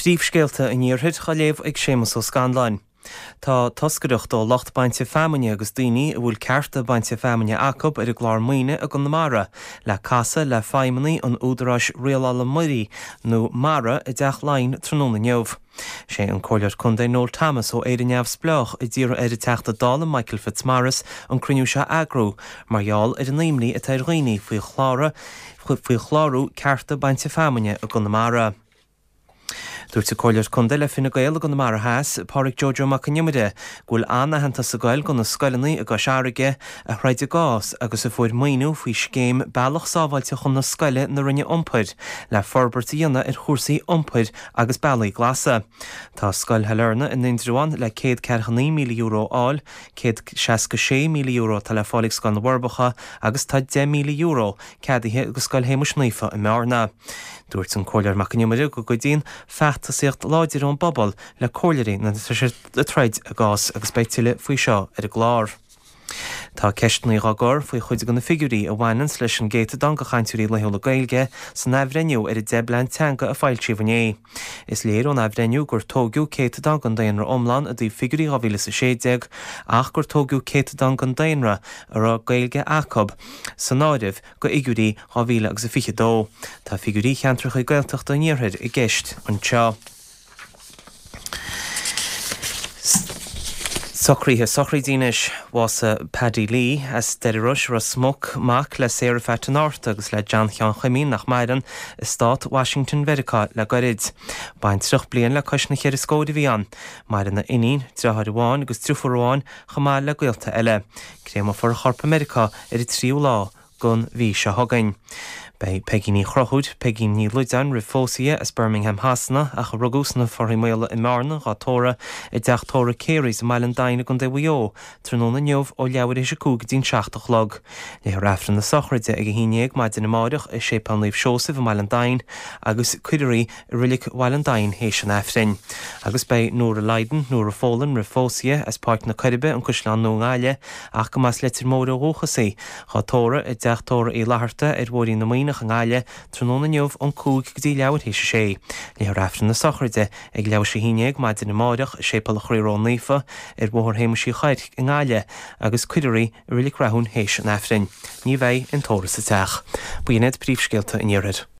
Príomhscéalta an Iarthair á léamh ag Séamus Ó Scanláin. Tá toscaireacht ó lucht bainte feamainne agus daoine a bhfuil cearta bainte feamainne acu ar an gclár maoine i gConamara le casadh le feidhmeannaigh an Údaráis Rialála Muirí nó mara i dTeach Laighean tráthnóna inniu. Sé an Comhairleoir Contae Noel Thomas ó Éire Neamhspleách a d'iarr ar an Teachta Dála Michael Fitzmaurice an cruinniú seo a eagrú mar gheall ar an imní atá ar dhaoine faoi chlárú cearta bainte feamainne i gConamara. Dúirt an Comhairleoir Contae le Fine Gael i gConamara Theas, Pádraig Joe Joe Mac an Iomaire, go bhfuil an-aitheantas ag goil go na scoileanna i gCois Fharraige a throid a gcás agus a fuair maoiniú faoi scéim Bealach Sábháilte chun na Scoile na Roinne Iompair le forbairt a dhéanamh ar chúrsaí iompair agus bealaí glasa. Tá Scoil Shailearna in Indreabhán le €149,000 a fháil, €166,000 atá le fáil ag Scoil na bhForbacha agus tá €10,000 ceadaithe go Scoil Shéamuis Naofa i mBearna. Dúirt an Comhairleoir Mac an Iomaire go gcuidíonn feachtasaíocht láidir ón bpobal le comhairleoirí nuair atá siad ag troid a gcás agus beidh tuilleadh faoi seo ar an gclár. Tá ceisteanna á gcur faoi chuid de na figiúirí a bhaineanns leis an gcéatadán de chainteoirí laethúla Gaeilge san athbhreithniú ar an 10 bplean teanga a foilsíodh inné. Is léir ón athbhreithniú gur tóigeadh céatadán den daonra iomlán i dtaobh figiúirí 2016 ach gur tóigeadh céatadán den daonra a raibh Gaeilge acu san áireamh go fhigiúirí 2022. Tá figiúirí cheantracha Gaeltachta an Iarthair i gceist anseo. Socruithe sochraide anois. Bhásaigh Paddy Lee as Doire Rois, Ros Muc, mac le Sarah Phat an Fhárta agus le John Sheáin Chuimín, nach maireann, i Stát Washington Mheiriceá le goirid. Baintreach bliain le cois na cheithre scóir a bhí ann. Maireann a iníon, deartháir amháin agus driofúr amháin chomh maith le gaolta eile. Créamófar a chorp i Meiriceá ar an tríú lá den mhí seo chugainn. Beidh Peigí Ní Chonchúir, Peigín Ní Loideáin roimh phósadh di, as Birmingham Shasana ach a rugadh sna Fothraigh Maola i mBearna, dhá tórramh i dteach tórraimh Carey's i mBaile an Daingin i gContae Mhaigh Eo tráthnóna inniu ó leathuair théis a 5 go dtí'n 7 a chlog. Léifear Aifreann na sochraide ag a 11 maidin amáireach i Séipéal Naomh Seosamh i mBaile an Daingin agus cuirfear í i Reilig Bhaile an Daingin théis an Aifrinn. Agus beidh Nóra Lydon, Nóra Folan roimh phósadh di, as Páirc na Coiribe, An Caisleán Nua i nGaillimh, ach go mb'as Leitir Móir ó dhúchas í, dhá tórramh i dteach tórraimh Uí Fhlatharta ar Bhóithrín na Muimhneach i nGaillimh tráthnóna inniu ón 5 go dtí leathuair théis a sé. Léifear Aifreann na sochraide ag leathuair théis a 11 maidin amáireach i Séipéal an Chroí Ró-Naofa ar Bhóthar Shéamuis Uí Chuirc i nGaillimh agus cuirfear í i Reilig Rathún théis an Aifrinn. Ní bheidh aon tórramh sa teach. B'in iad príomhscéalta an Iarthair.